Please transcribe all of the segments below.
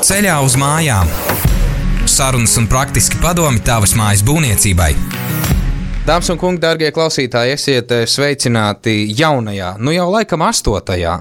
Ceļā uz mājām. Sarunas un praktiski padomi tavas mājas būvniecībai. Dāmas un kungi, dārgie klausītāji, esiet sveicināti jaunajā, jau laikam 8.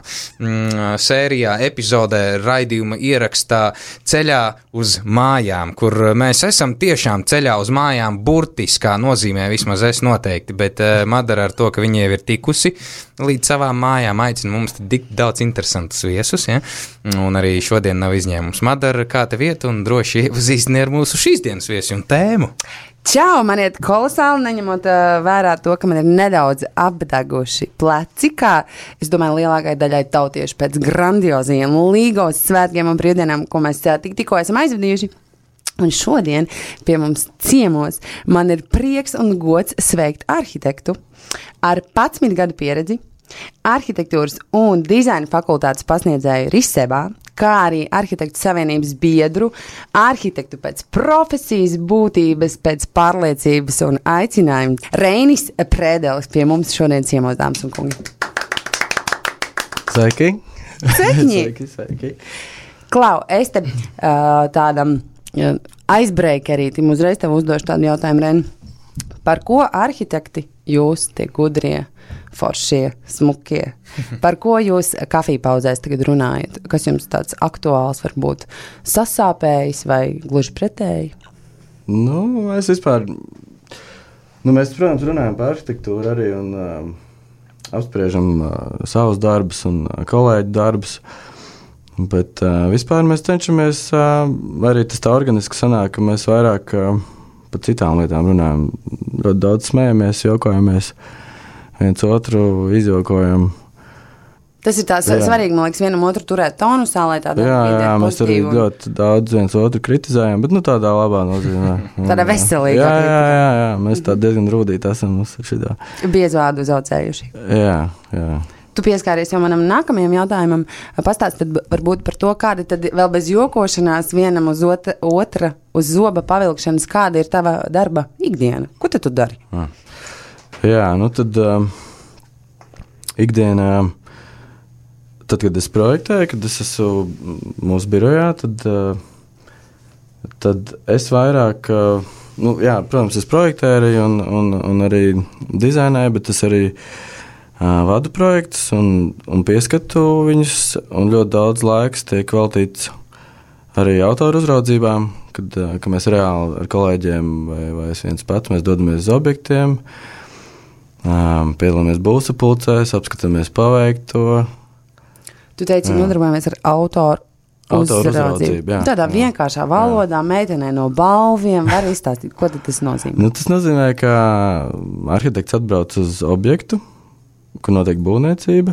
sērijā, epizodē raidījuma ierakstā Ceļā uz mājām, kur mēs esam tiešām ceļā uz mājām burtiskā nozīmē, vismaz es noteikti, bet Madara ar to, ka viņa jau ir tikusi līdz savām mājām, aicina mums tik daudz interesantus viesus, ja? Un arī šodien nav izņēmums. Madara, kā tev iet, un droši iepazīstini ar mūsu šīs dienas viesu un tēmu. Čau, man iet kolosāli, neņemot vērā to, ka man ir nedaudz apdeguši pleci, kā, es domāju, lielākai daļai tautiešu pēc grandioziem līgos svētkiem un brīvdienām, ko mēs tikko esam aizvadījuši. Un šodien pie mums ciemos man ir prieks un gods sveikt arhitektu ar 11 gadu pieredzi, arhitektūras un dizaina fakultātes pasniedzēju Risebā, kā arī arhitektu savienības biedru, arhitektu pēc profesijas, būtības, pēc pārliecības un aicinājuma. Reinis Prēdelis pie mums šodien ciemos, dāmas un kungi. Sveiki! Sveiki! Sveiki! Klau, es te tādam aizbreakerītim uzreiz tev uzdošu tādu jautājumu, Reini. Par ko arhitekti jūs tie gudrie, foršie, smukie? Par ko jūs kafiju pauzēs tagad runājat? Kas jums tāds aktuāls varbūt sasāpējis vai gluži pretēji? Es vispār... mēs, protams, runājam par arhitektūru arī un apspriežam savus darbus un kolēģu darbus. Bet vispār mēs cenšamies, arī tas tā organiski sanāk, ka mēs vairāk par citām lietām runājam. Ļoti daudz smējamies, jokojamies, viens otru izjokojam. Tas ir tās svarīgi, man liekas, vienam otru turēt tonusā, lai tādā jā, mēs arī ļoti daudz viens otru kritizējam, bet tādā labā nozīmē. Tādā veselīgā. Jā, mēs tā diezgan rūdīti esam uz šitā. Biezvārdu uzaucējuši. Jā. Tu pieskāries jau manam nākamajam jautājumam, pastāst tad varbūt par to, kāda tad vēl bez jokošanās vienam uz otra uz zoba pavilkšanas, kāda ir tava darba ikdiena? Ko tad tu dari? Jā, tad ikdienā, tad, kad es projektēju, kad es esmu mūsu birojā, tad es vairāk, protams, es projektēju un arī dizainēju, bet es arī vadu projektus un pieskatu viņus, un ļoti daudz laiks tiek veltīts arī autoru uzraudzībām, kad mēs reāli ar kolēģiem vai es viens pats, mēs dodamies uz objektiem, piedalāmies būvsapulcēs, apskatāmies paveikto. Tu teici, nodarbojamies ar autoru uzraudzību. Tādā vienkāršā valodā, meitenē no balviem, var izstāstīt, ko tad tas nozīmē? Tas nozīmē, ka arhitekts atbrauc uz objektu, kur notiek būvniecība,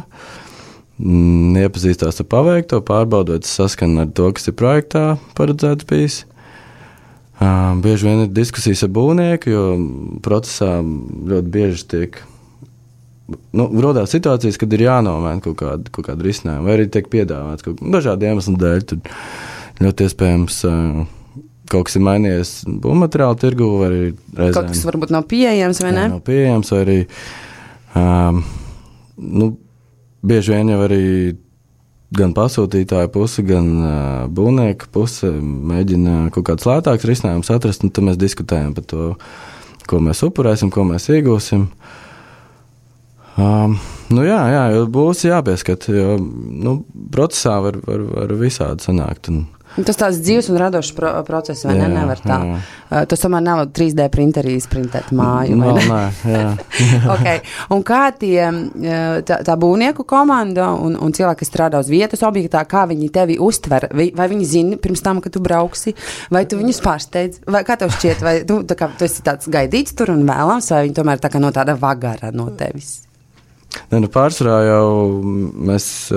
iepazīstās ar paveikto, pārbaudot saskanu ar to, kas ir projektā paredzēts bijis. Bieži vien ir diskusijas ar būvnieku, jo procesā ļoti bieži tiek rodās situācijas, kad ir jānomaina kaut kāda risinājuma, vai arī tiek piedāvāts dažādu iemeslu dēļ. Tur ļoti iespējams kaut kas ir mainījies būvmateriālu tirgu, vai arī reizēm. Kaut kas varbūt nav pieejams, vai ne? Nav pieejams, vai arī bieži vien jau arī gan pasūtītāja puse, gan būvnieka puse mēģina kaut kāds lētāks risinājums atrast, un tad mēs diskutējam par to, ko mēs upurēsim, ko mēs iegūsim. Jo būs jāpieskat, jo procesā var visādi sanākt. Tas tāds dzīves un radošs process, vai ne? Nevar tā. Tas tomēr nav 3D printerī sprintēt māju, vai ne? Jā. Okay. Un kā tā būvnieku komanda un cilvēki, kas strādā uz vietas objektā, kā viņi tevi uztver? Vai viņi zina pirms tam, ka tu brauksi? Vai tu viņus pārsteidz? Vai kā tev šķiet? Vai tu esi tāds gaidīts tur un vēlams, vai viņi tomēr tā kā no tāda vagara no tevis? Pārsvarā jau mēs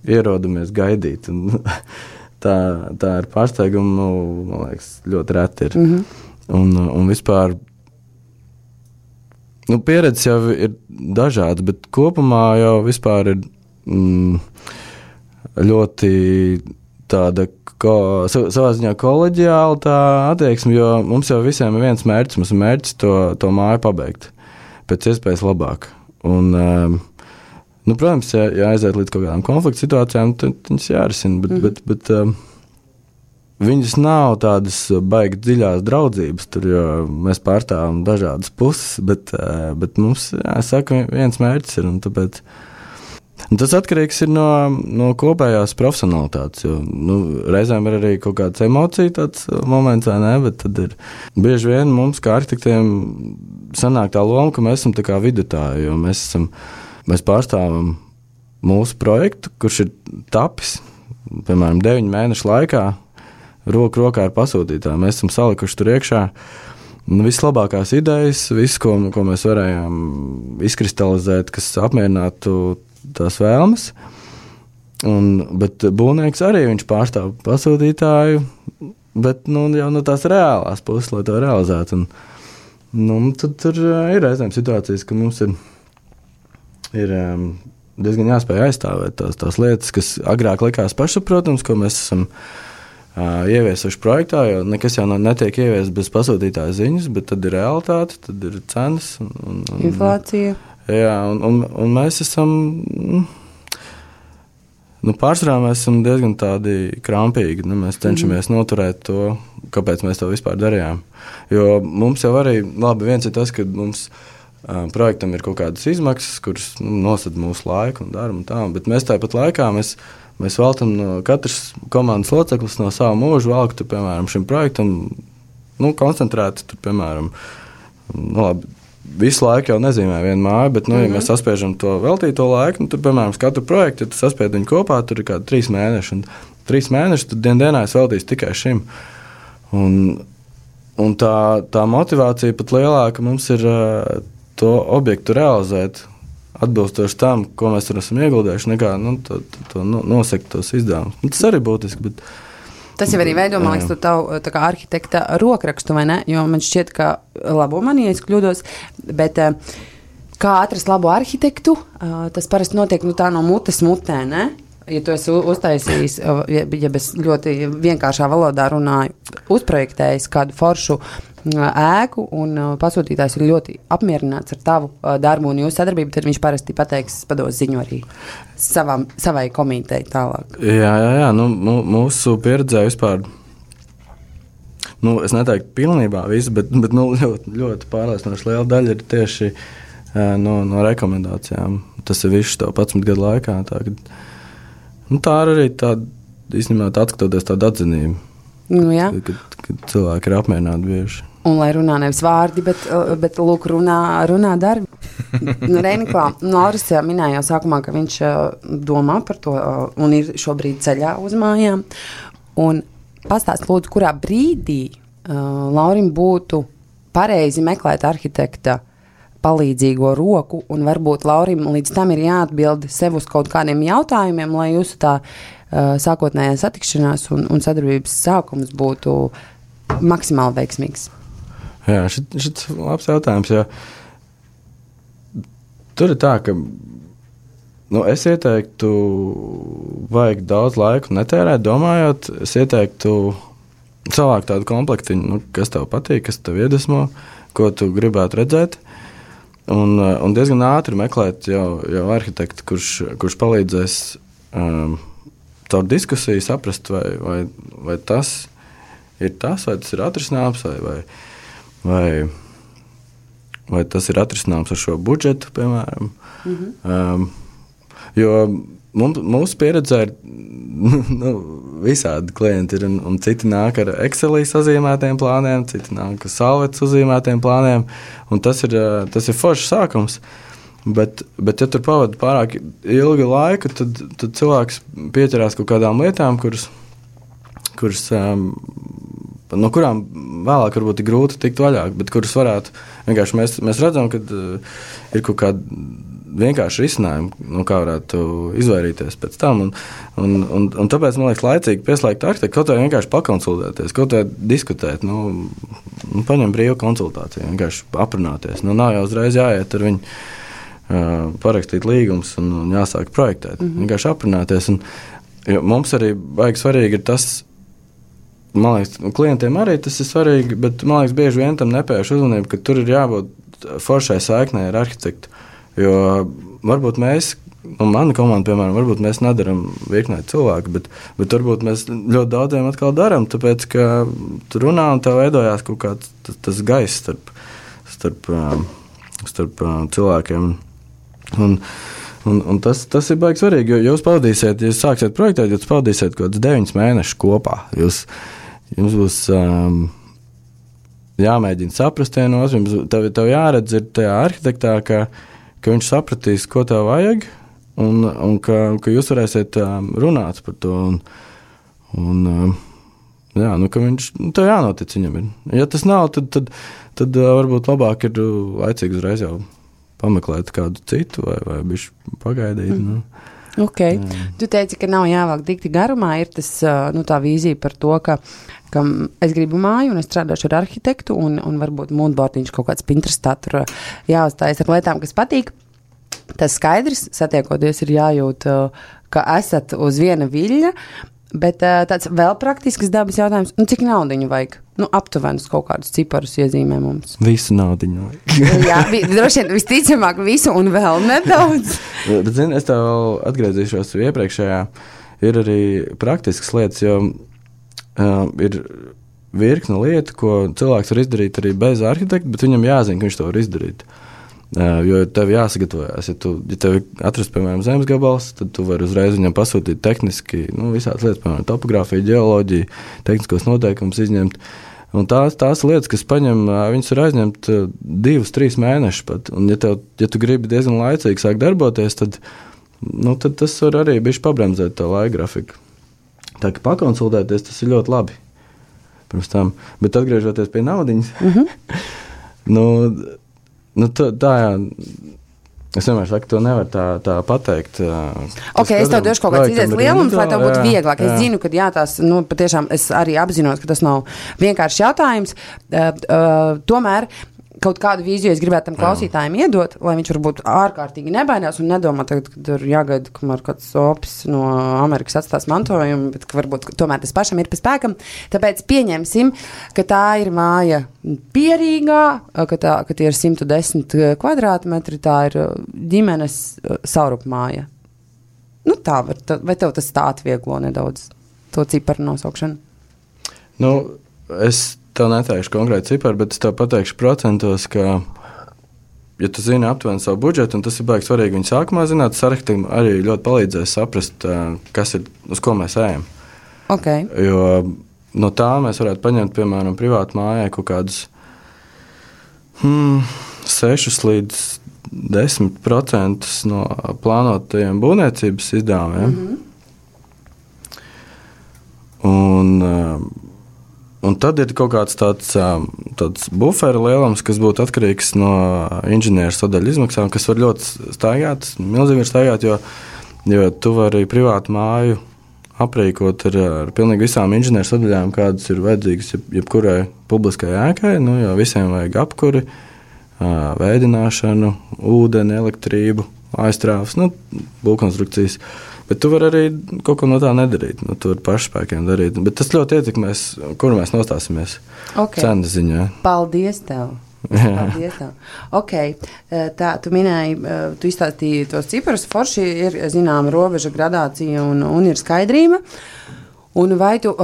ierodamies gaidīt. Tā ir pārsteiguma, man liekas, ļoti reti ir. Un vispār, pieredzes jau ir dažādas, bet kopumā jau vispār ir ļoti tāda savā ziņā koleģiāla tā attieksme, jo mums jau visiem ir viens mērķis, mums ir mērķis to māju pabeigt pēc iespējas labāk. Un, protams, ja aiziet līdz kaut kādām konflikta situācijām, tad viņas jārisina, bet viņas nav tādas baigi dziļās draudzības, tur, jo mēs pārstāvam dažādas puses, bet mums, saka, viens mērķis ir, un tāpēc tas atkarīgs ir no kopējās profesionalitātes, jo, reizēm ir arī kaut kāds emocija tāds moments, vai ne, bet tad ir bieži vien mums, kā arhitektiem, sanāk tā loma, ka mēs esam tā kā vidutāji, jo mēs pārstāvam mūsu projektu, kurš ir tapis, piemēram, 9 mēnešu laikā, roku rokā ar pasūtītāju. Mēs esam salikuši tur iekšā vislabākās idejas, visu, ko mēs varējām izkristalizēt, kas apmierinātu tās vēlmes. Bet būvnieks arī viņš pārstāv pasūtītāju, bet jau no tās reālās puses, lai to realizētu. Tad tur ir reizēm situācijas, ka mums ir diezgan jāspēj aizstāvēt tās lietas, kas agrāk likās pašsaprotams, ko mēs esam ieviesuši projektā, jo nekas jau netiek ieviests bez pasūtītāja ziņas, bet tad ir realitāte, tad ir cenas. Inflācija. Jā, un mēs esam, pārsvarā mēs esam diezgan tādi krampīgi, mēs cenšamies noturēt to, kāpēc mēs to vispār darījām. Jo mums jau arī, labi, viens ir tas, ka mums projektam ir kaut kādas izmaksas, kuras nosada mūsu laiku un darbu un tā, bet mēs tāpat laikā mēs veltam no katras komandas loceklis no savu mūžu valku, piemēram, šim projektam, koncentrēti, piemēram, labi, visu laiku jau nezīmē vienu māju, bet, ja mēs saspiežam to veltīto laiku, tad, piemēram, katru projektu, ja tu saspied viņu kopā, tur ir kādi 3 mēneši, un 3 mēneši, tad dienā es veltīšu tikai šim. Un tā motivācija pat lielāka mums ir to objektu realizēt, atbilstoši tam, ko mēs tur esam ieguldējuši, nekā nosekt tos izdevumus. Tas arī būtiski, bet... Tas jau arī veido, man liekas, tu tavu tā kā arhitekta rokrakstu, vai ne? Jo man šķiet, ka labo mani, ja es kļūdos, bet kā atrast labu arhitektu, tas parasti notiek tā no mutes mutē, ne? Ja tu esi uztaisījis, ja bez ļoti vienkāršā valodā runāju, uzprojektējis kādu foršu ēku un pasūtītājs ir ļoti apmierināts ar tavu darbu un jūsu sadarbību, tad viņš parasti pateiks, pados ziņu arī savai komitei tālāk. Jā, mūsu pieredzē vispār, es neteiktu pilnībā visu, bet ļoti, ļoti pārliecinoši liela daļa ir tieši no rekomendācijām. Tas ir viss to 11 gadu laikā. Tā ir arī tāda, īstenībā, atskatoties tāda atzinība, kad cilvēki ir apmierināti bieži. Un lai runā nevis vārdi, bet lūk, runā darbi. Reiniklā, Lauris minēja jau sākumā, ka viņš domā par to un ir šobrīd ceļā uz mājām. Un pastāst, lūdzu, kurā brīdī Laurim būtu pareizi meklēt arhitekta palīdzīgo roku, un varbūt Laurim līdz tam ir jāatbild sev uz kaut kādiem jautājumiem, lai jūsu tā sākotnējā satikšanās un sadarbības sākums būtu maksimāli veiksmīgs. Jā, šis labs jautājums, jo tur ir tā, ka es ieteiktu, vajag daudz laiku netērēt, domājot, es ieteiktu savākt tādu komplektiņu, kas tev patīk, kas tev iedvesmo, ko tu gribētu redzēt. Un diezgan ātri meklēt jau arhitektu, kurš palīdzēs caur diskusiju saprast, vai tas ir tas, vai tas ir atrisināms, vai tas ir atrisināms ar šo budžetu, piemēram. Jo mūsu pieredzē ir visādi klienti ir, un citi nāk ar Excelī sazīmētiem plāniem, citi nāk ar Salvetes sazīmētiem plāniem, un tas ir foršs sākums. Bet ja tur pavada pārāk ilgu laiku, tad cilvēks pieķerās kaut kādām lietām, kuras no kurām vēlāk varbūt ir grūti tikt vaļā, bet kuras varētu vienkārši mēs redzam, ka ir kaut kāda vienkārši risinājumi, kā varētu izvairīties pēc tam. Un tāpēc, man liekas, laicīgi pieslēgt arhitektu, kaut vai vienkārši pakonsultēties, kaut vai diskutēt, paņem brīvu konsultāciju, vienkārši aprunāties. Nav jau uzreiz jāiet ar viņu parakstīt līgumus un jāsāk projektēt. Vienkārši aprunāties. Mums arī baigi svarīgi ir tas, man liekas, klientiem arī tas ir svarīgi, bet, man liekas, bieži vien tam nepērš uzmanību, ka tur ir jābūt foršai saiknei ar arhitektu. Jo varbūt mēs, mana komanda, piemēram, varbūt mēs nedaram virknē cilvēku, bet varbūt mēs ļoti daudziem atkal darām, tāpēc, ka tu runā un tev veidojās kaut kāds tas gaiss starp cilvēkiem. Un tas ir baigi svarīgi, jo jūs pavadīsiet, ja jūs sāksiet projektēt, jūs pavadīsiet kaut kādus 9 mēnešus kopā. Jums būs jāmēģina saprast vienos, tev jāredz ir tajā arhitektā, ka viņš sapratīs, ko tev vajag, un ka jūs varēsiet runāt par to. Ka viņš, tev jānotic viņam ir. Ja tas nav, tad varbūt labāk ir laicīgi uzreiz jau pameklēt kādu citu vai bišķi pagaidīt. Ok. Tu teici, ka nav jāvāk dikti garumā, ir tas, tā vīzija par to, ka es gribu māju un es strādāšu ar arhitektu un varbūt moodboardiņš kaut kāds Pinterestā tur jāuzstājas ar lietām, kas patīk. Tas skaidrs, satiekoties ir jājūt, ka esat uz viena viļņa, bet tāds vēl praktisks dabas jautājums, cik naudiņu vajag? Aptuvenus kaut kādus ciparus iezīmē mums. Visu naudiņu vajag. Jā, droši vien visticamāk visu un vēl nedaudz. Bet, zini, es tev atgriezīšos iepriekšējā. Ir arī praktiskas lietas, jo ir virkne lietu, ko cilvēks var izdarīt arī bez arhitekta, bet viņam jāzina, ka viņš to var izdarīt. Jo tev jāsagatavojās. Ja tev atrast, piemēram, zemes gabals, tad tu vari uzreiz viņam pasūtīt tehniski, visādas lietas, piemēram, topogrāfiju, ģeoloģiju, tehniskos noteikumus izņemt. Un tās lietas, kas paņem, viņas var aizņemt 2-3 mēnešus pat. Un ja tu gribi diezgan laicīgi sākt darboties, tad tas var arī bišķi pabremzēt to laika grafiku. Tā kā pakonsultēties, tas ir ļoti labi. Pirms tam. Bet atgriežoties pie naudiņas, tā jā. Es vienmēr saku, to nevar tā pateikt. Ok, es tev došu kaut kāds izējas lielums, lai tev būtu vieglāk. Es zinu, ka tās, patiešām es arī apzinos, ka tas nav vienkārši jautājums. Tomēr kaut kādu vīziju es gribētu tam klausītājiem iedot, lai viņš varbūt ārkārtīgi nebaidās un nedomā tagad, kad ir jāgaida, kamēr kāds opis no Amerikas atstās mantojumu, bet ka varbūt tomēr tas pašam ir pa spēkam. Tāpēc pieņemsim, ka tā ir māja pierīgā, ka tie ir 110 kvadrātmetri, tā ir ģimenes saurupmāja. Vai tev tas tā atvieglo nedaudz to ciparu nosaukšanu? Es tev neteikšu konkrēti ciparu, bet es tev pateikšu procentos, ka, ja tu zini aptuveni savu budžetu, un tas ir baigi svarīgi viņu sākumā zināt, tas arhitektam arī ļoti palīdzēs saprast, kas ir, uz ko mēs ejam. Okay. Jo no tā mēs varētu paņemt, piemēram, privātu mājai kaut kādus 6 līdz 10% no plānotajiem būvniecības izdevumiem. Un tad ir kaut kāds tāds bufera lielums, kas būtu atkarīgs no inženieru sadaļu izmaksām, kas var ļoti staigāt, milzīgi var staigāt, jo tu vari privātu māju aprīkot ar pilnīgi visām inženieru sadaļām, kādas ir vajadzīgas jebkurai publiskai ēkai, jo visiem vajag apkuri, vēdināšanu, ūdeni, elektrību, aizstrāvas, būvkonstrukcijas. Bet tu vari arī kaut ko no tā nedarīt. Tu vari pašspēkiem darīt. Bet tas ļoti ietekmēs, kur mēs nostāsimies cenas ziņā. Paldies tev! Paldies tev! Ok, tā, tu minēji, tu izstāstīji tos ciparus, forši ir, zinām, robeža gradācija un ir skaidrība. Un vai tu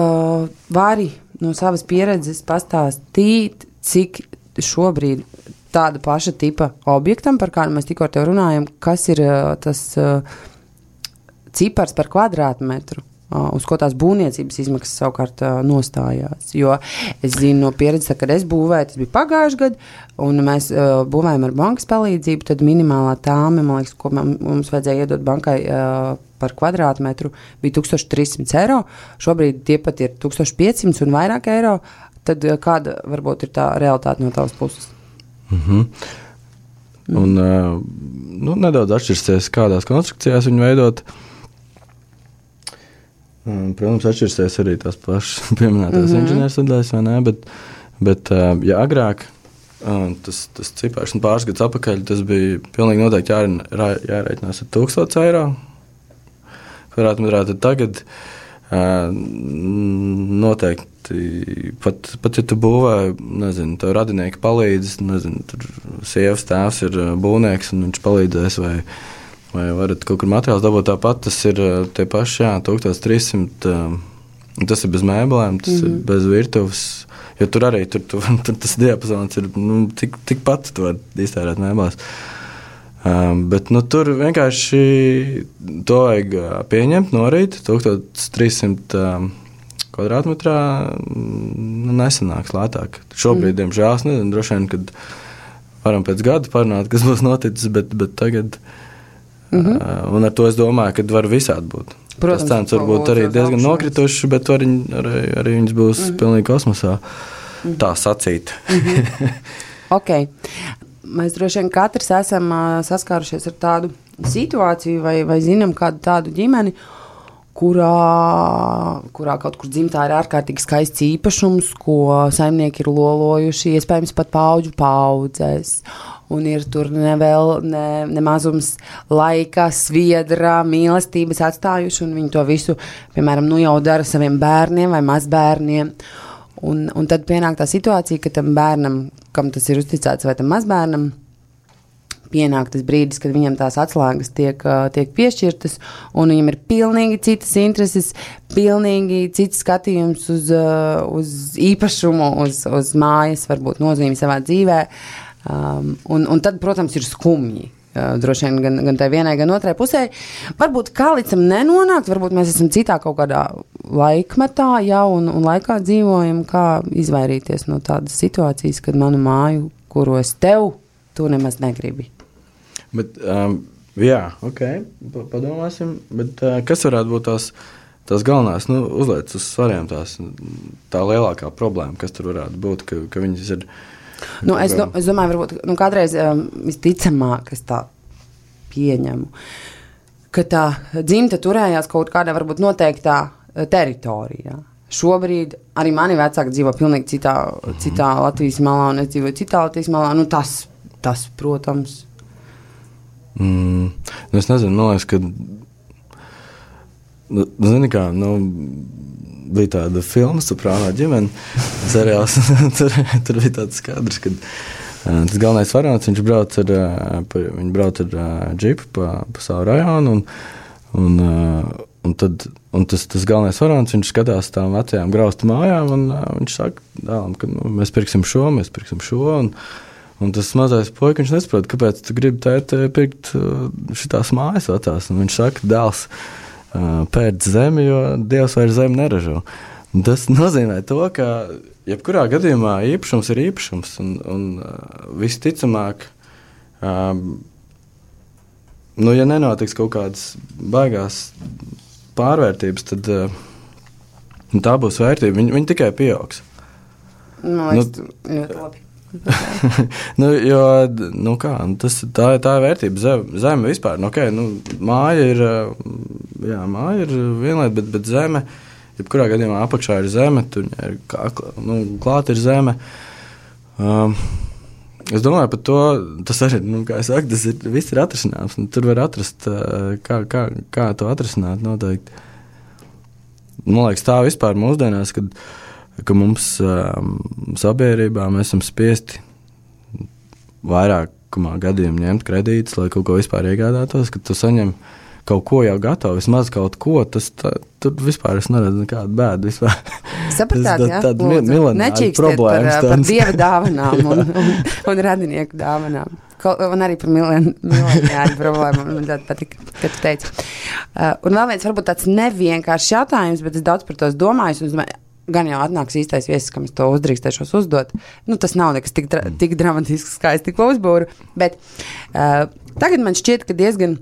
vari no savas pieredzes pastāstīt, cik šobrīd tāda paša tipa objektam, par kādu mēs tikko ar tev runājam, kas ir tas cipars par kvadrātmetru, uz ko tās būvniecības izmaksas savukārt nostājās. Jo es zinu no pieredzes, kad es būvēju, tas bija pagājuši gadu, un mēs būvējam ar bankas palīdzību, tad minimālā tāme, man liekas, ko mums vajadzēja iedot bankai par kvadrātmetru, bija 1300 eiro. Šobrīd tie pat ir 1500 un vairāk eiro. Tad kāda varbūt ir tā realitāte no tavas puses? Un nedaudz atšķirsies, kādās konstrukcijās viņu veidot. Protams, atšķirsies arī tās pašas pieminētās inženieru sadaļas, vai ne, bet ja agrāk tas cipars un pāris gadus atpakaļ, tas bija pilnīgi noteikti jārēķinās ar 1000 eiro kvadrātmetrā, tad tagad noteikti, pat ja tu būvē, nezinu, tev radinieki palīdz, nezinu, tur sievas tēvs ir būvnieks un viņš palīdzēs vai vai varat kaut kur materiāls dabūt tāpat, tas ir tie paši, 1300, tas ir bez mēbelēm, tas ir bez virtuves, jo tur arī tur tas diapazons ir, tikpat tu var iztērēt mēbelēs. Bet, tur vienkārši to vajag pieņemt, norīt, 1300 kvadrātmetrā nesanāks lētāk. Šobrīd, diemžēl, es nezinu, droši vien, kad varam pēc gada parunāt, kas būs noticis, bet tagad, un ar to es domāju, ka var visādi būt. Protams, tas cenas varbūt arī diezgan nokrituši, bet arī viņas būs pilnīgi kosmosā, tā sacīt. Ok. Mēs droši vien katrs esam saskārušies ar tādu situāciju vai zinām kādu tādu ģimeni, kurā kaut kur dzimtā ir ārkārtīgi skaists īpašums, ko saimnieki ir lolojuši, iespējams pat paudžu paudzēs. Un ir tur nemazums laika, sviedra, mīlestības atstājuši, un viņi to visu, piemēram, jau dara saviem bērniem vai mazbērniem. Un tad pienāk tā situācija, ka tam bērnam, kam tas ir uzticēts, vai tam mazbērnam, pienāk tas brīdis, kad viņam tās atslēgas tiek piešķirtas, un viņam ir pilnīgi citas intereses, pilnīgi cits skatījums uz īpašumu, uz mājas, varbūt nozīmi savā dzīvē. Un tad, protams, ir skumji. Droši vien gan tai vienai, gan otrai pusē. Varbūt kā līdz tam nenonākt, varbūt mēs esam citā kaut kādā laikmetā jau un laikā dzīvojam, kā izvairīties no tādas situācijas, kad manu māju, kuru es tev, tu nemaz negribi. Bet, jā, ok, padomāsim, bet kas varētu būt tās galvenās, uzliec uz svariem tā lielākā problēma, kas tur varētu būt, ka viņas ir... Es domāju, varbūt kādreiz visticamāk, es tā pieņemu, ka tā dzimta turējās kaut kādā varbūt noteiktā teritorijā. Šobrīd arī mani vecāki dzīvo pilnīgi citā Latvijas malā, un es dzīvoju citā Latvijas malā. Tas, protams. Es nezinu, man liekas, ka zini kā, bija tāda filma Soprāno ģimene seriāls, tur bija tāds kadrs, kad tas galvenais varonis, viņš brauc ar džipu pa savu rajonu, un tas galvenais varonis, viņš skatās tām vecajām graustu mājām, un viņš saka dēlam, ka mēs pirksim šo, un tas mazais puika, viņš nesaprot, kāpēc tu gribi pirkt šitās mājas vecās, un viņš saka, dēls, pēc zemi, jo Dievs vairs zemi neražo. Tas nozīmē to, ka jebkurā gadījumā īpašums ir īpašums, un visticamāk, ja nenotiks kaut kādas baigās pārvērtības, tad tā būs vērtība. Viņi tikai pieaugs. Ļoti labi. Tā ir vērtība. Zeme vispār, māja ir viena lieta, bet zeme, jebkurā gadījumā apakšā ir zeme, tur ir klāt ir zeme. Es domāju par to, tas arī, kā es saku, viss ir atrisināms, un tur var atrast, kā to atrisināt noteikti. Man liekas, tā vispār mūsdienās, ka mums sabiedrībā mēs esam spiesti vairākumā gadījumu ņemt kredītus, lai kaut ko vispār iegādātos, kad tu saņem kaut ko jau gatavu, vismaz kaut ko, tur vispār es neredzu nekādu bēdu vispār. Sapratāt, jā? Nečīkstiet par dieva dāvanām un radinieku dāvanām. Un arī par mileniāļu problēmu. Man ļoti patika, ka tu teici. Un vēl viens varbūt tāds nevienkāršs jautājums, bet es daudz par to domāju, un gan jau atnāks īstais viesis, kam es to uzdrīkstēšos uzdot. Tas nav nekas tik dramatisks, kā es tikko uzbūru, bet tagad man šķiet, ka diezgan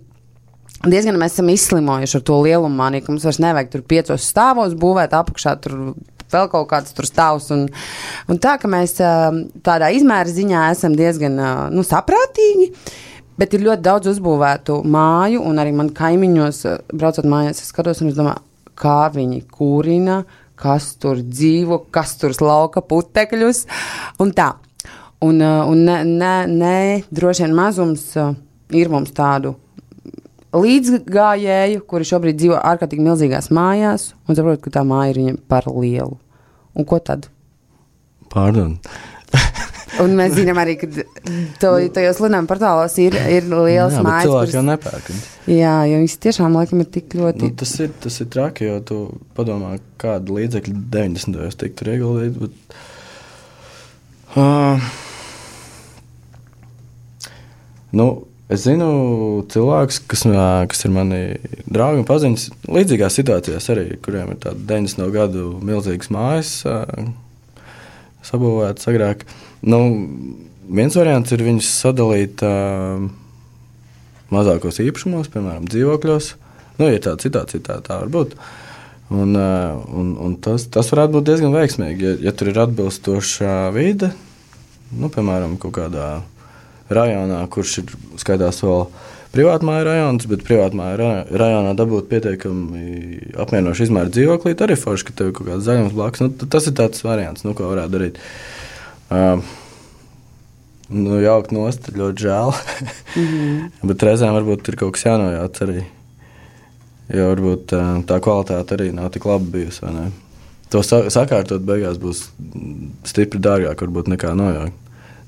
mēs esam izslimojuši ar to lielumu māniju, ka mums vairs nevajag tur 5 stāvos būvēt, apakšā tur vēl kaut kāds tur stāvs, un tā, ka mēs tādā izmēra ziņā esam diezgan saprātīgi, bet ir ļoti daudz uzbūvētu māju, un arī man kaimiņos, braucot mājās, es skatos, un es domāju, kā viņi kūrina, kas tur dzīvo, kas tur slauka putekļus, un tā. Un droši vien mazums ir mums tādu līdzgājēju, kuri šobrīd dzīvo ārkārtīgi milzīgās mājās, un saprot, ka tā māja ir viņam par lielu. Un ko tad? Pardon. Un mēs zinām arī, ka tajos lidojuma portālos ir liels mājas. Cilvēki jau nepērk. Jā, jo visi tiešām laikam ir tik ļoti... Tas ir traki, jo tu padomā, kādu līdzekļu 90. tik tur ieguldīt, bet... Es zinu cilvēkus, kas ir mani draugi un paziņas līdzīgās situācijās arī, kuriem ir tāda 90. gadu milzīgas mājas sabūvētas agrāk. Viens variants ir viņus sadalīt mazākos īpašumos, piemēram, dzīvokļos. Ir tāda situācija, tā var būt. Un tas varētu būt diezgan veiksmīgi, ja tur ir atbilstoša vide, piemēram, kaut kādā rajonā, kurš ir skaitās vēl privātmāju rajons, bet privātmāju rajonā dabūt pietiekami apmierinoši izmēru dzīvoklīt, arī forši, ka tev ir kaut kāds zaļums blakus. Tas ir tāds variants, ko varētu darīt. Jaukt nost, ļoti žēl. Bet reizēm varbūt ir kaut kas jānojauc arī. Jo varbūt tā kvalitāte arī nav tik laba bijusi, vai ne? To sakārtot beigās būs stipri dārgāk varbūt nekā nojaukt.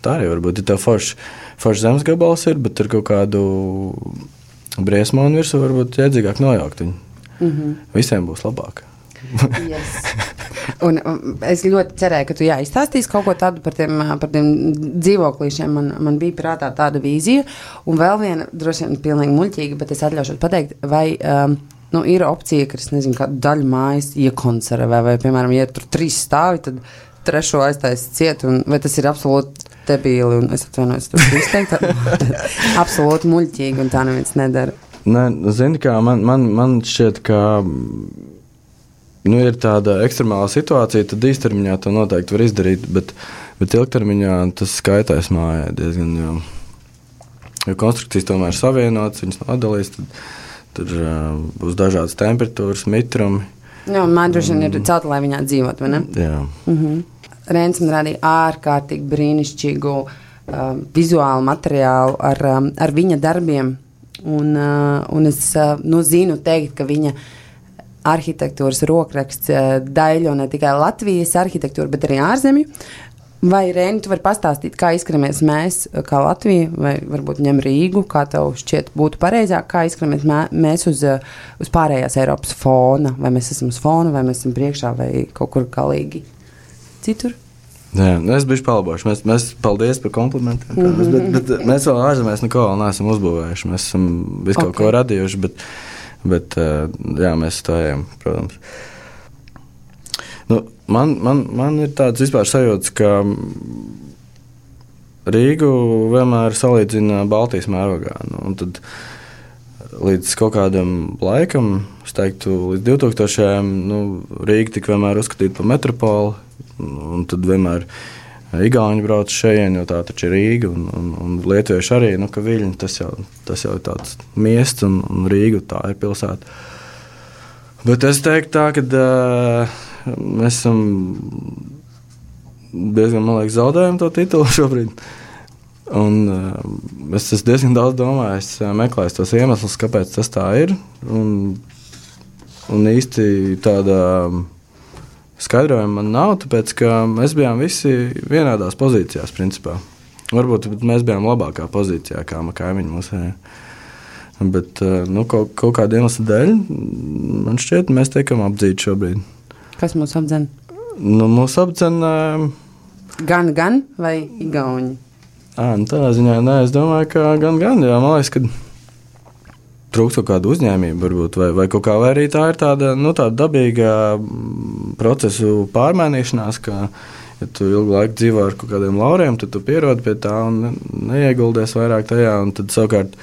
Tā arī varbūt, ja tev forši zemes gabals ir, bet ar kaut kādu briesmonu virsū varbūt jēdzīgāk nojaukt viņu. Visiem būs labāk. Yes. Un es ļoti cerēju, ka tu izstāstīsi kaut ko tādu par tiem dzīvoklīšiem. Man bija prātā tāda vīzija. Un vēl viena, droši vien pilnīgi muļķīga, bet es atļaušos pateikt, vai ir opcija, ka es nezinu, kādu daļu mājas iekonservē, vai, piemēram, ja tur 3 stāvi, tad 3. aiztaisa ciet, vai tas ir absolūti debīli, un es atvainojos, tur izteikt, absolūti muļķīgi, un tā neviens nedara. Zini, kā man šķiet, ka ir tāda ekstremāla situācija, tad īstermiņā to noteikti var izdarīt, bet ilgtermiņā tas skaitās mājai diezgan, jo konstrukcijas tomēr ir savienotas, viņas nav atdalīs, tad būs dažādas temperatūras, mitrumi. Jā, un man droši vien ir celta, lai viņā dzīvot, vai ne? Jā. Rēns man rādīja ārkārtīgi brīnišķīgu vizuālu materiālu ar viņa darbiem, un es zinu teikt, ka viņa arhitektūras rokraksts daļo ne tikai Latvijas arhitektūru, bet arī ārzemju. Vai, Rēni, tu vari pastāstīt, kā izskaramies mēs, kā Latvija, vai varbūt ņem Rīgu, kā tev šķiet būtu pareizāk, kā izskaramies mēs uz pārējās Eiropas fona, vai mēs esam uz fona, vai mēs esam priekšā, vai kaut kur galīgi citur? Jā, es biju palabojuši. Mēs paldies par komplimentiem. Bet mēs vēl ārzemēs neko vēl neesam uzbūvējuši. Mēs esam visu kaut ko radījuši, bet jā, mēs to ejam, protams. Man ir tāds vispār sajūts, ka Rīgu vienmēr salīdzina Baltijas mērogā. Un tad līdz kaut kādam laikam, es teiktu, līdz 2000. Rīga tika vienmēr uzskatīta par metropoli, un tad vienmēr Igauņi brauc šeit, jo tā taču ir Rīga, un lietuvieši arī, ka Viļņi tas jau ir tāds miests, un Rīga tā ir pilsēta. Bet es teiktu tā, ka mēs esam diezgan, man liekas, zaudējam to titulu šobrīd. Un es diezgan daudz domāju, es meklēju tos iemeslus, kāpēc tas tā ir, un īsti tāda skaidrojuma man nav, tāpēc, ka mēs bijām visi vienādās pozīcijās, principā. Varbūt mēs bijām labākā pozīcijā, kā kaimiņi mūsu. Bet kaut kāda iemesla dēļ, man šķiet, mēs tiekam apdzīti šobrīd. Kas mūs apdzen? Mūs apdzen... Gan vai igauņi? Tādā ziņā, es domāju, ka gan, jā, man liekas, ka trūkst kaut kāda uzņēmība varbūt, vai kaut kā, vai arī tā ir tāda dabīga procesu pārmainīšanās, ka, ja tu ilgu laiku dzīvo ar kaut kādiem lauriem, tad tu pierodi pie tā un neieguldies vairāk tajā, un tad savukārt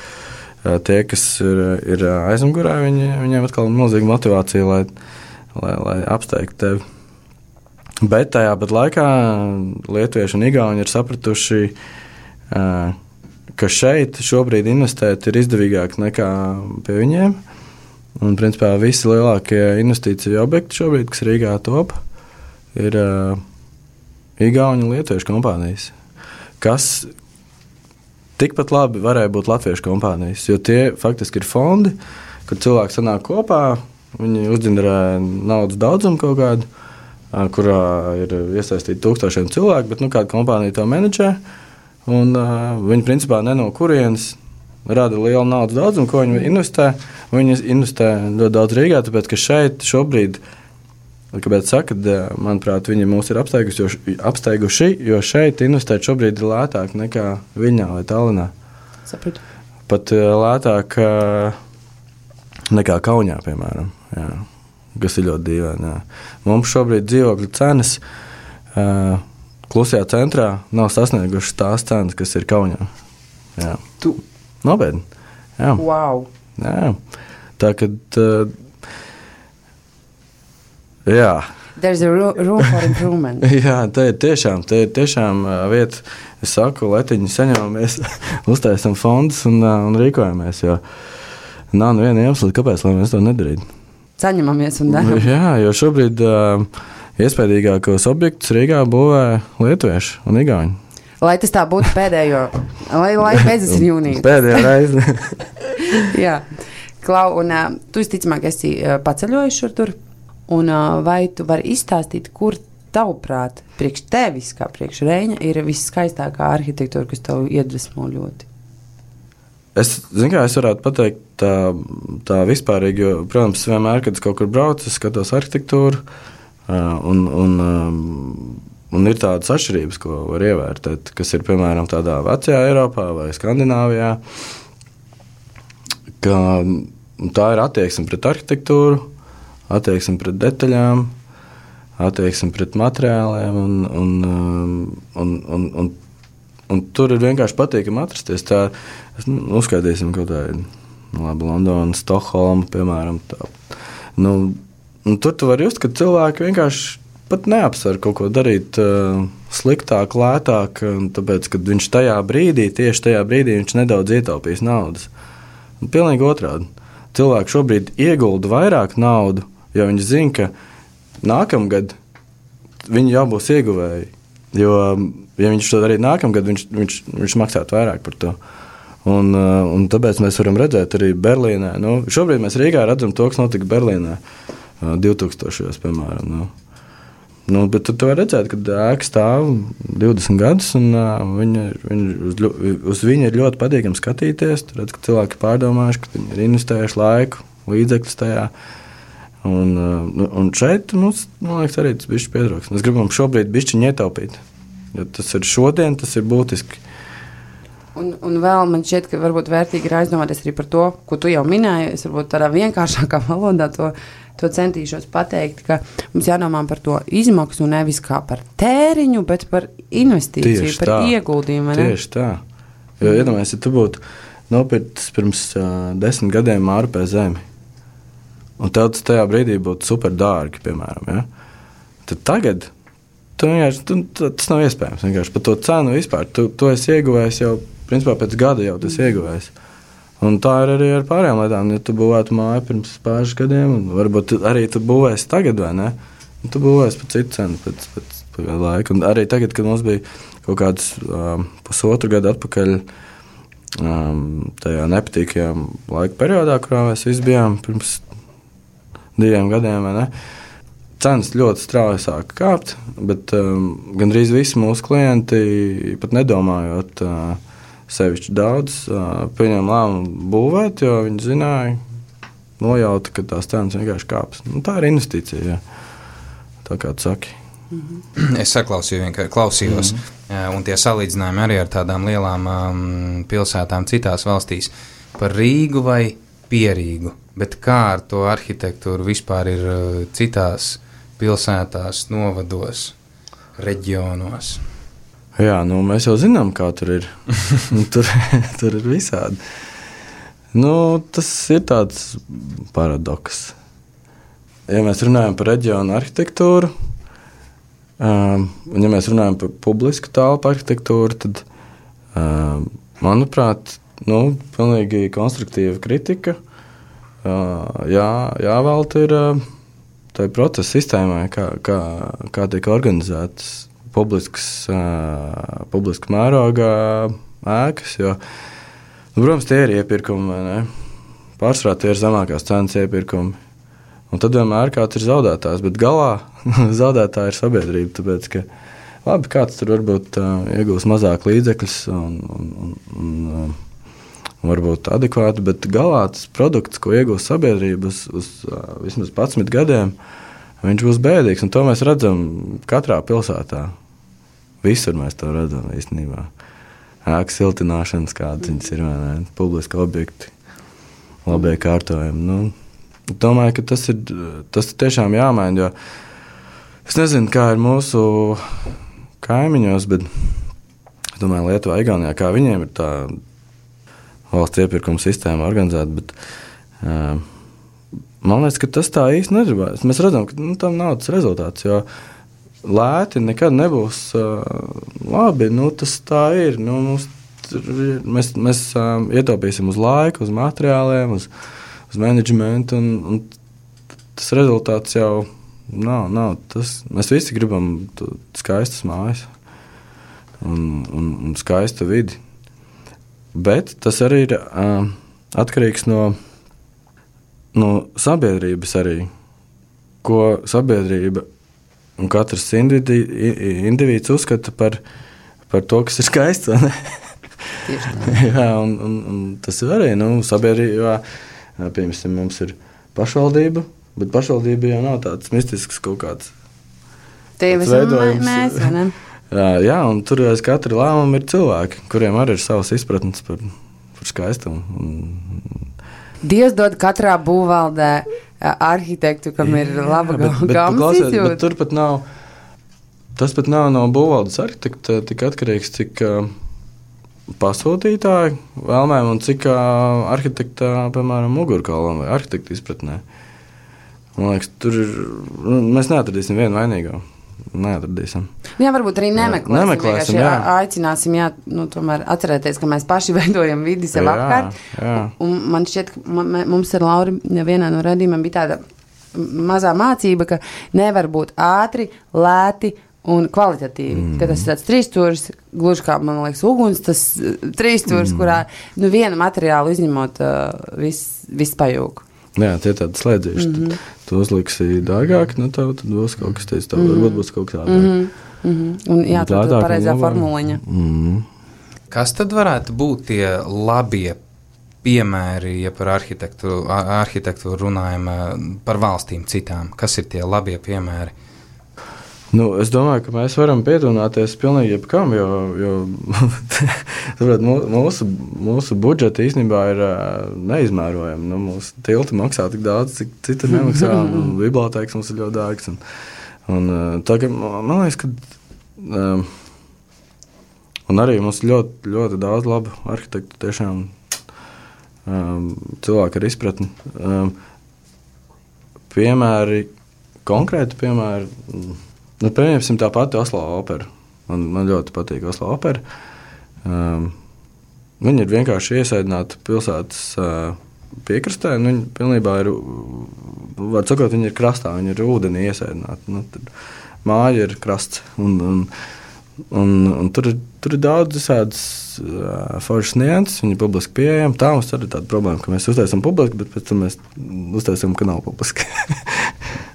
tie, kas ir aizmugurē, viņiem atkal ir milzīga motivācija, lai apsteigtu tevi. Bet tajā pat laikā lietuvieši un igauņi ir sapratuši, ka šeit šobrīd investēt ir izdevīgāk nekā pie viņiem. Un, principā, visi lielākie investīciju objekti šobrīd, kas Rīgā top, ir igauņu un lietuviešu kompānijas, kas tikpat labi varēja būt latviešu kompānijas, jo tie faktiski ir fondi, kad cilvēki sanāk kopā, viņi uzģenerē naudas daudzumu kaut kādu, kurā ir iesaistīti tūkstošiem cilvēku, bet kāda kompānija to menedžē. Viņi principā ne no kurienes rada lielu naudas daudzumu, ko viņi investē. Viņi investē ļoti daudz Rīgā, tāpēc ka šeit šobrīd, kāpēc saka, manuprāt, viņi mūs ir apsteiguši, jo šeit investēt šobrīd ir lētāk nekā Viļņā vai Tallinā. Sapratu. Pat lētāk nekā Kaunijā, piemēram. Jā. Kas ir ļoti dīvaini. Jā. Mums šobrīd dzīvokļu cenas klusajā centrā nav sasniegušas tās cenas, kas ir Kaunijā. Jā. Nopietni. Jā. Wow. Jā. Tā, kad... jā. There's a room for improvement. Jā, tā ir tiešām vieta. Es saku, letiņi saņemamies, uztaisam fondus un rīkojamies, jo nav neviena iemesla, kāpēc, lai mēs to nedarītu. Saņemamies un darām. Jā, jo šobrīd iespējīgākos objektus Rīgā būvē lietuvieši un igauņi. Lai tas tā būtu pēdējo, lai beidzas ir jūnija. Pēdējā reize. Jā. Klau, un tu visticamāk esi paceļojis šur tur, un vai tu vari izstāstīt, kur tavuprāt, priekš tevis, kā priekš Reņa, ir visskaistākā arhitektūra, kas tev iedvesmo ļoti? Es varētu pateikt tā vispārīgi, jo, protams, vienmēr, kad es kaut kur braucu, es skatos arhitektūru, un ir tādas atšķirības, ko var ievērtēt, kas ir, piemēram, tādā vecajā Eiropā vai Skandināvijā, ka tā ir attieksme pret arhitektūru, attieksme pret detaļām, attieksme pret materiāliem, un tur ir vienkārši patīkami atrasties. Tā, uzskaitīsim kaut tādu, Londonu, Stokholmu, piemēram. Tur tu vari just, ka cilvēki vienkārši pat neapsver kaut ko darīt sliktāk, lētāk, tāpēc, kad viņš tieši tajā brīdī viņš nedaudz ietaupīs naudas. Pilnīgi otrādi. Cilvēki šobrīd iegulda vairāk naudu, jo viņi zina, ka nākamgad viņi jau būs ieguvēji. Jo, ja viņš to darītu nākamgad, viņš maksātu vairāk par to. Un tāpēc mēs varam redzēt arī Berlīnē. Šobrīd mēs Rīgā redzam to, kas notika Berlīnē 2000. Piemēram. Bet tu var redzēt, ka ēka stāv 20 gadus, un uz viņu ir ļoti patīkami skatīties. Tur redz, ka cilvēki pārdomājuši, ka viņi ir investējuši laiku, līdzekļus tajā. Un šeit mums, man liekas, arī tas bišķi pietrūks. Mēs gribam šobrīd bišķiņi ietaupīt, jo tas ir šodien, tas ir būtiski. Un vēl man šķiet, ka varbūt vērtīgi ir aizdomāties arī par to, ko tu jau minēji. Es varbūt tādā vienkāršākā valodā to centīšos pateikt, ka mums jādomā par to izmaksu nevis kā par tēriņu, bet par investīciju, tieši par tā, ieguldījumu. Tieši tā. Jo iedomājies, ja tu būtu nopirkts pirms 10 gadiem māru pie zemi, un tev tas tajā brīdī būtu super dārgi, piemēram, ja? Tad tagad tas nav iespējams. Vienkārši par to cenu vispār. Tu esi ieguvējis jau, principā pēc gada jau tas ieguvējis. Un tā ir arī ar pārējām lietām. Ja tu būvētu māju pirms pāris gadiem, un varbūt arī tu būvēsi tagad, vai ne? Un tu būvēsi par citu cenu pēc kādu laiku. Un arī tagad, kad mums bija kaut kāds pusotru gadu atpakaļ tajā nepatīkajā laika periodā, kurā mēs visi bijām pirms 2 gadiem, vai ne? Cenas ļoti strauji sāka kāpt, bet gandrīz visi mūsu klienti, pat nedomājot sevišķi daudz, pieņēma lēmumu būvēt, jo viņi zināja, nojauta, ka tās cenas vienkārši kāps. Tā ir investīcija, jā. Tā kā tu saki. Es klausījos, un tie salīdzinājumi arī ar tādām lielām pilsētām citās valstīs par Rīgu vai Pierīgu, bet kā ar to arhitektūru vispār ir citās pilsētās, novados, reģionos? Jā, mēs jau zinām, kā tur ir. tur ir visādi. Tas ir tāds paradoks. Ja mēs runājam par reģionu arhitektūru, un ja mēs runājam par publisku telpu arhitektūru, tad, manuprāt, pilnīgi konstruktīva kritika jāvelta ir tai procesa sistēmai, kā tiek organizētas publiskas mērogā ēkas, jo, protams, tie ir iepirkumi, vai ne? Pārsvarā tie ir zemākās cenas iepirkumi. Un tad vienmēr kāds ir zaudētājs, bet galā zaudētāja ir sabiedrība, tāpēc, ka labi, kāds tur varbūt iegūs mazāk līdzekļus un varbūt adekvāti, bet galā tas produkts, ko iegūs sabiedrība uz vismaz 11 gadiem, viņš būs bēdīgs, un to mēs redzam katrā pilsētā. Visur mēs to redzam īstenībā. Ēku siltināšanas, kādas viņas ir, vai ne, publiski objekti, labie kārtojumi. Nu, domāju, ka tas ir tiešām jāmaina, jo es nezinu, kā ir mūsu kaimiņos, bet es domāju, Lietuvā, Igaunijā, kā viņiem ir tā valsts iepirkuma sistēma organizēta, bet man liekas, ka tas tā īsti nedarbājas. Mēs redzam, ka tam nav tas rezultāts, jo lēti nekad nebūs labi, tas tā ir. Mēs ietaupīsim uz laiku, uz materiāliem, uz menedžmentu, un tas rezultāts jau nav tas. Mēs visi gribam skaistas mājas un skaistu vidi. Bet tas arī ir atkarīgs no sabiedrības arī, ko sabiedrība un katrs individs uzskata par to, kas ir skaists. Jā, un tas ir arī sabiedrībā. Piemēram, mums ir pašvaldība, bet pašvaldība jau nav tāds mistisks kaut kāds veidojums. Mēs, vai ne? Jā, un tur aiz katra lēmuma ir cilvēki, kuriem arī ir savas izpratnes par skaistumu. Dievs dod katrā būvvaldē arhitektu, kam ir laba gamas izjūta. Tas pat nav no būvvaldes arhitekta tik atkarīgs, cik pasūtītāju vēlmēm un cik arhitekta, piemēram, mugurkaulam vai arhitekta izpratnē. Man liekas, tur ir, mēs neatradīsim vienu vainīgo. Neatradīsim. Jā, varbūt arī nemeklēsim. Aicināsim, tomēr atcerēties, ka mēs paši veidojam vidi sev apkārt. Un man šķiet, ka mums ar Lauri vienā no raidījumiem bija tāda mazā mācība, ka nevar būt ātri, lēti un kvalitatīvi. Ka tas ir tāds trīsstūris, gluži kā, man liekas, uguns, tas trīsstūris, kurā vienu materiālu izņemot viss pajūg. Jā, tie tādi slēdzīši. Tu uzliksi dārgāk, tad būs kaut kas teicis, varbūt būs kaut kā dārgāk. Un jā, tā ir pareizā formuliņa. Kas tad varētu būt tie labie piemēri, ja par arhitektūru runājam, par valstīm citām? Kas ir tie labie piemēri? Es domāju, ka mēs varam pietuvināties pilnīgi jebkam, jo mūsu budžeti īstenībā ir neizmērojami. Mūsu tilti maksā tik daudz, cik citi nemaksā, un bibliotēkas mums ir ļoti dārgs. Tagad, man liekas, ka un arī mums ļoti, ļoti daudz labu arhitektu, tiešām cilvēki ar izpratni. Piemēri, konkrēti piemēri, pieņemsim tā pati Oslo opera. Man ļoti patīk Oslo opera. Viņi ir vienkārši iesaidināti pilsētas piekrastē. Viņi pilnībā ir, var sakot, viņi ir krastā, viņi ir ūdenī iesaidināti. Māja ir krasts. Un tur ir daudz visādas foršas nianses, viņi ir publiski pieejami. Tā mums arī tāda problēma, ka mēs uztaisam publiski, bet pēc tam mēs uztaisam, ka nav publiski.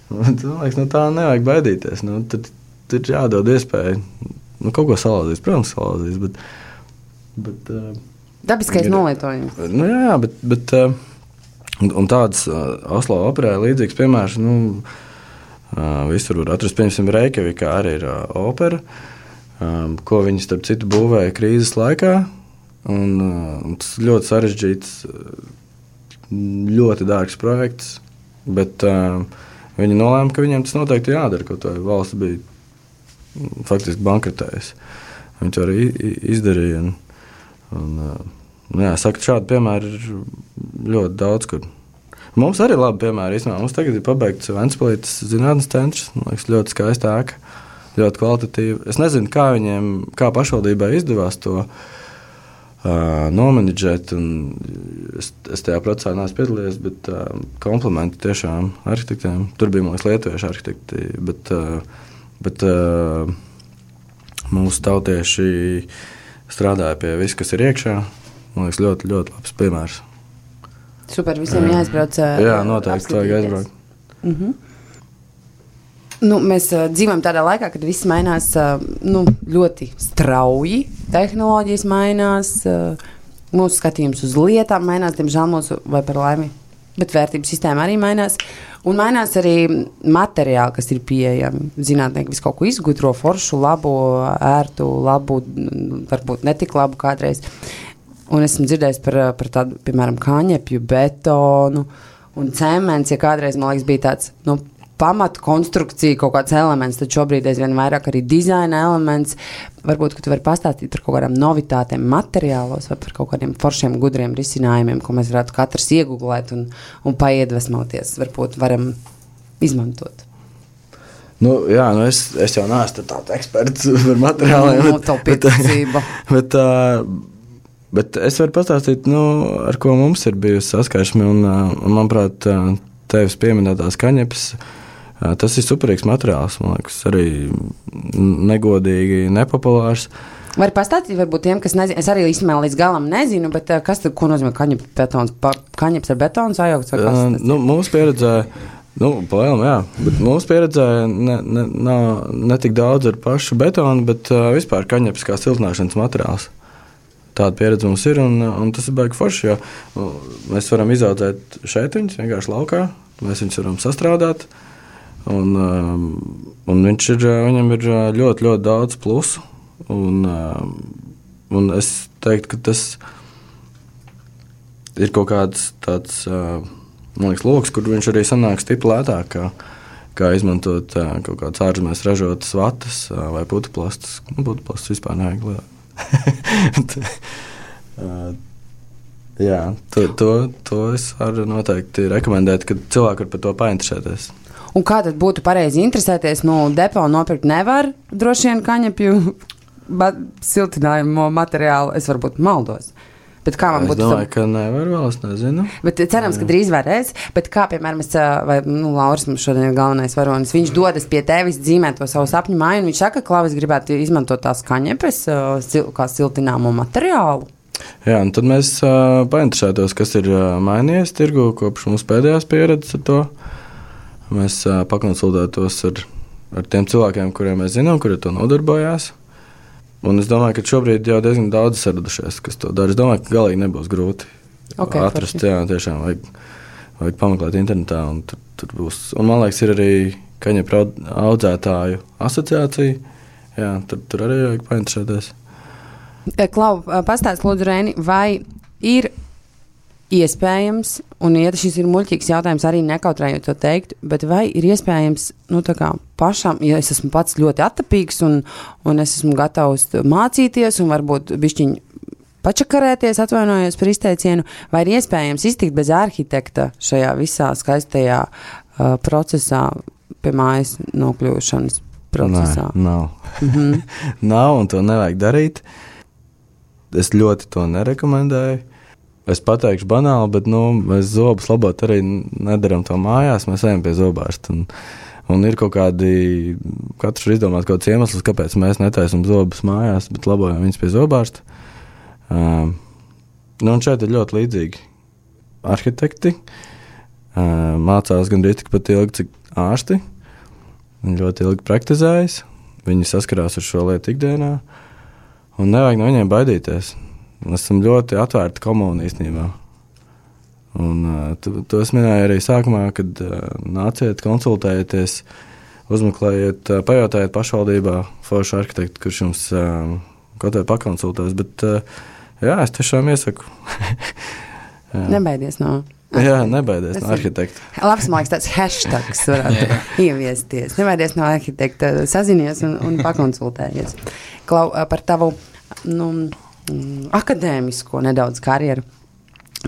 Man liekas, tā nevajag baidīties. Tad ir jādod iespēju kaut ko salāzīt. Protams, salāzīt, bet dabiskais nolietojums. Jā, bet un tāds Oslo operē līdzīgs piemērs, visur var atrast, piemēram, Reikjavikā arī ir opera, ko viņi starp citu būvēja krīzes laikā, un tas ļoti sarežģīts, ļoti dārgs projekts, bet viņi nolēma, ka viņiem tas noteikti jādara, kaut vai valsts bija faktiski bankrotējusi. Viņi to arī izdarīja. Saka, šādi piemēri ir ļoti daudz, kur. Mums arī labi piemēri. Mums tagad ir pabeigts Ventspilītes zinātnes centrs. Man liekas, ļoti skaista ēka, ļoti kvalitatīva. Es nezinu, kā pašvaldībai izdevās to nomenedžēt, un es tajā procesā neesmu piedalījies, bet komplimenti tiešām arhitektiem. Tur bija, man liekas, lietuviešu arhitekti, bet mūsu tautieši strādāja pie visu, kas ir iekšā. Man liekas, ļoti, ļoti labs piemērs. Super, visiem jāizbrauc. Jā, noteikti vajag aizbraukt. Mēs dzīvojam tādā laikā, kad viss mainās ļoti strauji. Tehnoloģijas mainās, mūsu skatījums uz lietām mainās, diemžēl mūsu, vai par laimi, bet vērtības sistēma arī mainās. Un mainās arī materiāli, kas ir pieejami. Zinātnieki visu kaut ko izgudro, foršu, labu, ērtu, labu, varbūt netik labu kādreiz. Un esmu dzirdējis par tādu, piemēram, kāņepju, betonu un cements, ja kādreiz, man liekas, bija tāds, pamatu konstrukcija, kaut kāds elements, tad šobrīd aizvien vairāk arī dizaina elements. Varbūt, ka tu vari pastāstīt par kaut kādām novitātēm materiālos vai par kaut kādiem foršiem, gudriem risinājumiem, ko mēs varētu katrs iegooglēt un paiedvesmoties. Varbūt varam izmantot. Es jau neesmu tāds eksperts par materiāliem. Bet es varu pastāstīt, ar ko mums ir bijusi saskarsme. Un manuprāt, tevis pieminētās kaņepes, tas ir superīgs materiāls, man liekas, arī negodīgi, nepopulārs. Var pastāstīt, varbūt tiem, kas nezinu, es arī īstenībā līdz galam nezinu, bet kas tad, ko nozīmē kaņepes betons? Kaņepes ar betonu sajaukts vai kas tas? Mūsu pieredzē, palielam, jā, bet mūsu pieredzē ne tik daudz ar pašu betonu, bet vispār kaņepes kā siltināšanas materiāls. Tāda pieredze mums ir, un tas ir baigi forši, jo mēs varam izaudzēt šeit viņus, vienkārši laukā, mēs viņus varam sastrādāt, un viņam ir ļoti, ļoti daudz plusu, un es teiktu, ka tas ir kaut kāds tāds, man liekas, loks, kur viņš arī sanāk stipri lētāk, kā izmantot kaut kādas ārzemēs ražotas vatas vai putuplastus. Putuplastus vispār nevajag lielāk. Jā, to es varu noteikti rekomendēt, ka cilvēki var par to painteresēties. Un kā tad būtu pareizi interesēties? Depo nopirkt nevar droši vien kaņepju siltinājumu materiālu. Es varbūt maldos. Bet kā man būtu? Es domāju, ka nevar vēl, es nezinu. Bet cerams, ka drīz varēs. Bet kā, piemēram, Lauris mums šodien ir galvenais varonis, viņš dodas pie tevis dzīmēt to savu sapņu māju, un viņš saka, ka Klauvis gribētu izmantot tās kaņepes kā siltināmo materiālu. Jā, un tad mēs painteresētos, kas ir mainījies tirgu kopš mums pēdējās pieredzes ar to. Mēs pakonsultētos ar tiem cilvēkiem, kuriem mēs zinām, kuri to nodarbojās. Un es domāju, ka šobrīd jau diezgan daudz saradušies, kas to dara. Es domāju, ka galīgi nebūs grūti atrast. Jā, tiešām vajag pameklēt internetā, un tur būs. Un man liekas, ir arī kaņepju audzētāju asociācija. Jā, tur arī vajag painteresēties. Klau, pastāst lūdzu, Rēni, vai ir iespējams, un ja šis ir muļķīgs jautājums, arī nekautrējot to teikt, bet vai ir iespējams, tā kā pašam, ja es esmu pats ļoti attapīgs un es esmu gatavs mācīties un varbūt bišķiņ pačakarēties, atvainojos par izteicienu, vai ir iespējams iztikt bez arhitekta šajā visā skaistajā procesā, pie mājas nokļūšanas procesā? Nē, nav. Nav, un to nevajag darīt. Es ļoti to nerekomendēju. Es pateikšu banāli, bet mēs zobus labot arī nedaram to mājās, mēs ejam pie zobārsta. Un ir kaut kādi, katrs var izdomāt kaut kāds iemesls, kāpēc mēs netaisam zobus mājās, bet labojam viņus pie zobārsta. Un šeit ir ļoti līdzīgi arhitekti. Mācās gandrīz tikpat ilgi, cik ārsti. Viņi ļoti ilgi praktizējas, viņi saskarās ar šo lietu ikdienā, un nevajag no viņiem baidīties. Mēs esam ļoti atvērti komuni īstenībā. Un to es minēju arī sākumā, kad nāciet, konsultējieties, uzmeklējiet, pajautājiet pašvaldībā foršu arhitektu, kurš jums kaut vai pakonsultēs. Bet jā, es tiešām iesaku. Nebaidies no... Jā, nebaidies no arhitekta. Labs, man liekas, tāds hashtags varētu ieviesties. Nebaidies no arhitekta, sazinies un pakonsultējies. Klau, par tavu akadēmisko nedaudz karjeru.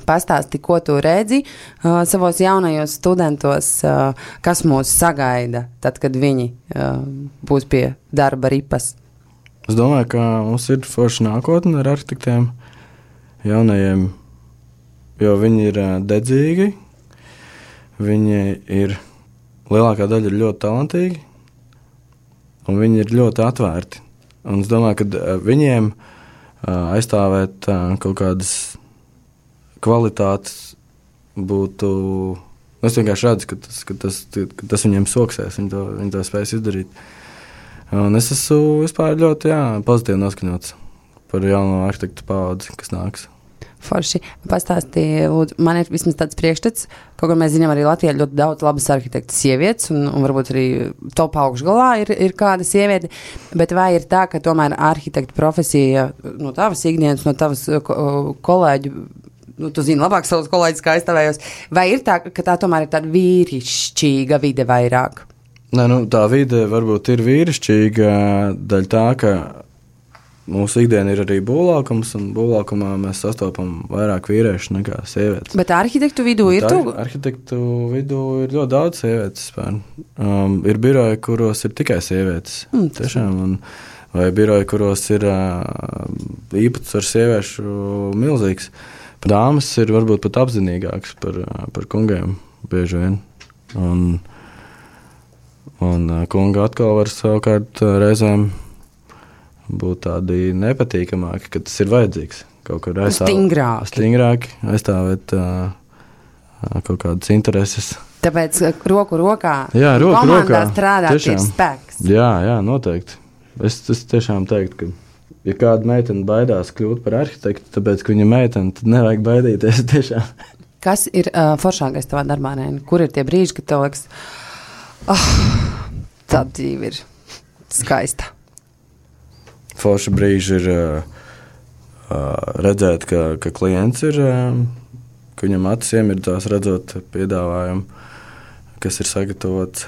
Pastāsti, ko tu redzi savos jaunajos studentos, kas mūs sagaida tad, kad viņi būs pie darba ripas? Es domāju, ka mums ir forša nākotne ar arhitektiem jaunajiem, jo viņi ir dedzīgi, viņi ir, lielākā daļa ir ļoti talantīgi, un viņi ir ļoti atvērti. Un es domāju, ka viņiem aizstāvēt kaut kādas kvalitātes būtu Es vienkārši redzu, ka tas viņiem soksēs, viņi to spēs izdarīt. Un es esmu vispār ļoti pozitīvi noskaņots par jauno arhitektu paudzi, kas nāks. Forši. Pastāstīja, lūdzu, man ir vismaz tāds priekšstats, kaut kā mēs zinām arī Latvijā ļoti daudz labas arhitekta sievietes, un varbūt arī top augšgalā ir kāda sieviete, bet vai ir tā, ka tomēr arhitekta profesija no tavas ikdienas, no tavas kolēģu, tu zini labāk savus kolēģus, kā aizstāvējos, vai ir tā, ka tā tomēr ir tāda vīrišķīga vide vairāk? Nē, tā vide varbūt ir vīrišķīga daļa tā, ka mūsu ikdiena ir arī būvlaukums, un būvlaukumā mēs sastopam vairāk vīriešu nekā sievietes. Bet arhitektu vidū ir tu? Arhitektu vidū ir ļoti daudz sievietes. Ir biroji, kuros ir tikai sievietes. Tiešām, vai biroji, kuros ir īpatsvars sieviešu milzīgs. Dāmas ir varbūt pat apzinīgākas par kungiem bieži vien. Un kunga atkal var savukārt reizēm būt tādi nepatīkamāki, ka tas ir vajadzīgs. Kaut kur stingrāki aizstāvēt kaut kādas intereses. Tāpēc roku rokā roku komandā strādāt ir spēks. Jā, noteikti. Es tiešām teiktu, ka ja kāda meitene baidās kļūt par arhitektu, tāpēc, ka viņa meitene, tad nevajag baidīties tiešām. Kas ir foršākais tavā darbā, Reini? Kur ir tie brīži, kad tev liekas, tā dzīve ir skaista? Forša brīži ir redzēt, ka klients ir, ka viņam acis iemirdzās redzot piedāvājumu, kas ir sagatavots.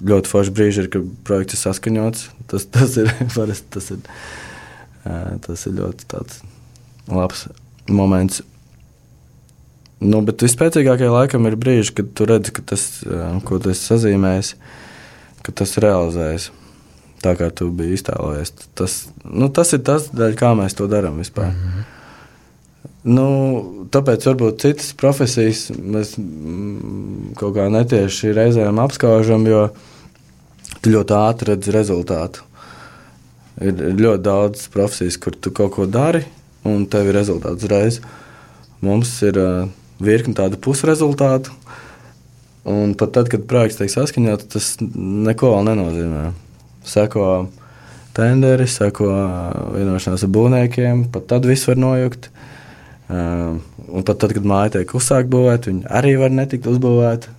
Ļoti forša brīži ir, ka projekts ir saskaņots. Tas ir parasti, tas ir ļoti tāds labs moments. Bet vispēcīgākajā laikam ir brīži, kad tu redzi, ka tas, ko tu esi sazīmējis, ka tas realizējas. Tā kā tu biji iztēlojies. Tas ir tas, daļa, kā mēs to darām vispār. Tāpēc varbūt citas profesijas mēs kaut kā netieši reizēm apskaužam, jo tu ļoti ātri redzi rezultātu. Ir ļoti daudz profesijas, kur tu kaut ko dari, un tev ir rezultāts uzreiz. Mums ir virkni tādu pusrezultātu, un pat tad, kad projekts tiek saskaņots, tas neko vēl nenozīmē. Seko tenderi, seko vienošanās ar būvniekiem, pat tad viss var nojukt. Un pat tad, kad māja tiek uzsākt būvēt, viņi arī var netikt uzbūvēt.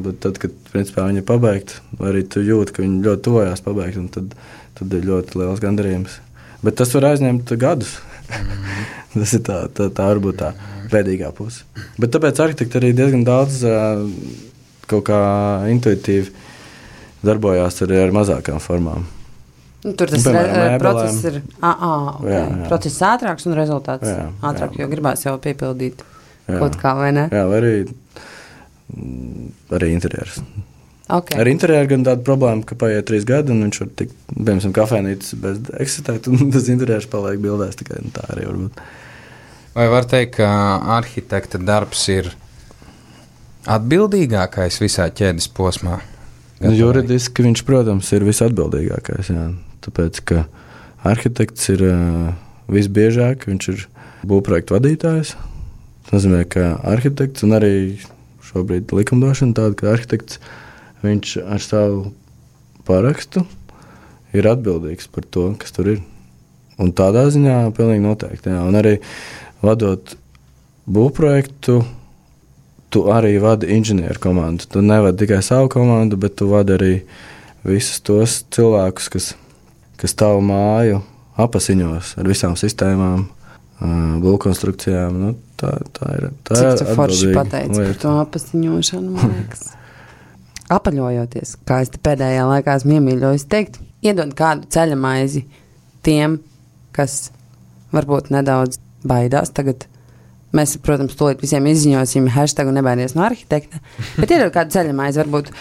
Bet tad, kad principā viņi ir pabeigti, arī tu jūti, ka viņi ļoti tuvojās pabeigt, un tad ir ļoti liels gandarījums. Bet tas var aizņemt gadus. Tas ir tā varbūt tā pēdīgā puse. Bet tāpēc arhitekti arī diezgan daudz kaut kā intuitīvi darbojās arī ar mazākām formām. Tur tas process ir process ātrāks un rezultāts ātrāk, jo gribās jau piepildīt kaut kā, vai ne? Jā, vai arī interjers. Okay. Ar interjeru gan tāda problēma, ka paiet 3 gadi, un viņš var tikt, piemēram, kafēnītis bez eksistēt, un tas interjers paliek bildēs tikai tā arī varbūt. Vai var teikt, ka arhitekta darbs ir atbildīgākais visā ķēdes posmā? Juridiski viņš, protams, ir visatbildīgākais, jā. Tāpēc, ka arhitekts ir visbiežāk, viņš ir būvprojektu vadītājs. Tas nozīmē, ka arhitekts un arī šobrīd likumdošana tāda, ka arhitekts, viņš ar savu parakstu ir atbildīgs par to, kas tur ir. Un tādā ziņā pilnīgi noteikti, jā. Un arī vadot būvprojektu, tu arī vadi inženieru komandu. Tu nevadi tikai savu komandu, bet tu vadi arī visus tos cilvēkus, kas tavu māju apasiņos ar visām sistēmām, būvkonstrukcijām. Tā ir. Cik tu forši pateici par to apasiņošanu, man liekas. Apaļojoties, kā es te pēdējā laikā esmu iemīļojis teikt, iedod kādu ceļamaizi tiem, kas varbūt nedaudz baidās tagad. Mēs, protams, tūlīt visiem izziņosim hashtagu nebaidies no arhitekta, bet iedod kādu ceļamaizi, varbūt,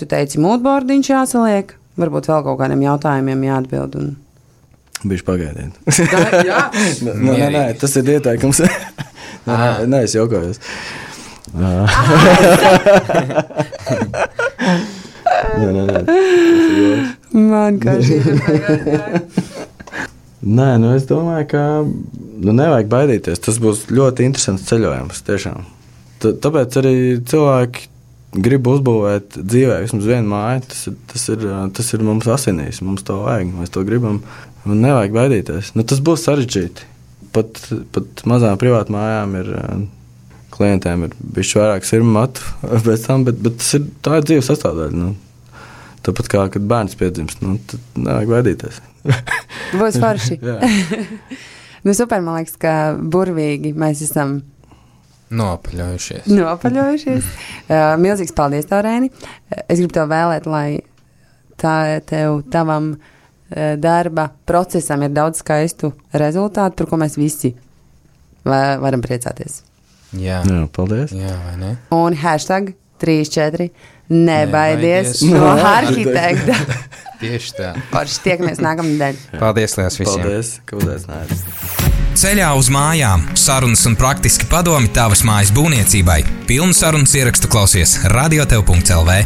tu teici, mūdbordiņš jāsaliek, varbūt vēl kaut kādiem jautājumiem jāatbild. Bišķi pagaidiet. Jā? Nē, tas ir ieteikums. Nē, es jokojos. Nē. Man kā šī ir pagaidiet. Nē, es domāju, ka nevajag baidīties. Tas būs ļoti interesants ceļojums, tiešām. Tāpēc arī cilvēki grib uzbūvēt dzīvē vismaz vienu māju. Tas ir mums asinīs, mums to vajag, mēs to gribam. Un nevajag baidīties. Tas būs sarežģīti. Pat mazām privātu mājām ir klientiem ir bišķi vairāk sirmu matu pēc tam, bet tā ir dzīves sastāvdaļa. Tāpat kā, kad bērns piedzimst, tad nevajag baidīties. Būs forši. Super, man liekas, ka burvīgi mēs esam nopaļojušies. Milzīgs paldies tev, Reini. Es gribu tev vēlēt, lai tavam darba procesam ir daudz skaistu rezultātu, par ko mēs visi varam priecāties. Jā, paldies. Jā, vai ne? Un #34 nebaidies no arhitekta. Tieši tā. Parši tiekamies nākamnedēļ. Paldies liels visiem. Paldies, ka uzaicinājāt. Ceļā uz mājām. Sarunas un praktiski padomi tavas mājas būvniecībai. Pilnu sarunas ierakstu klausies radiotev.lv.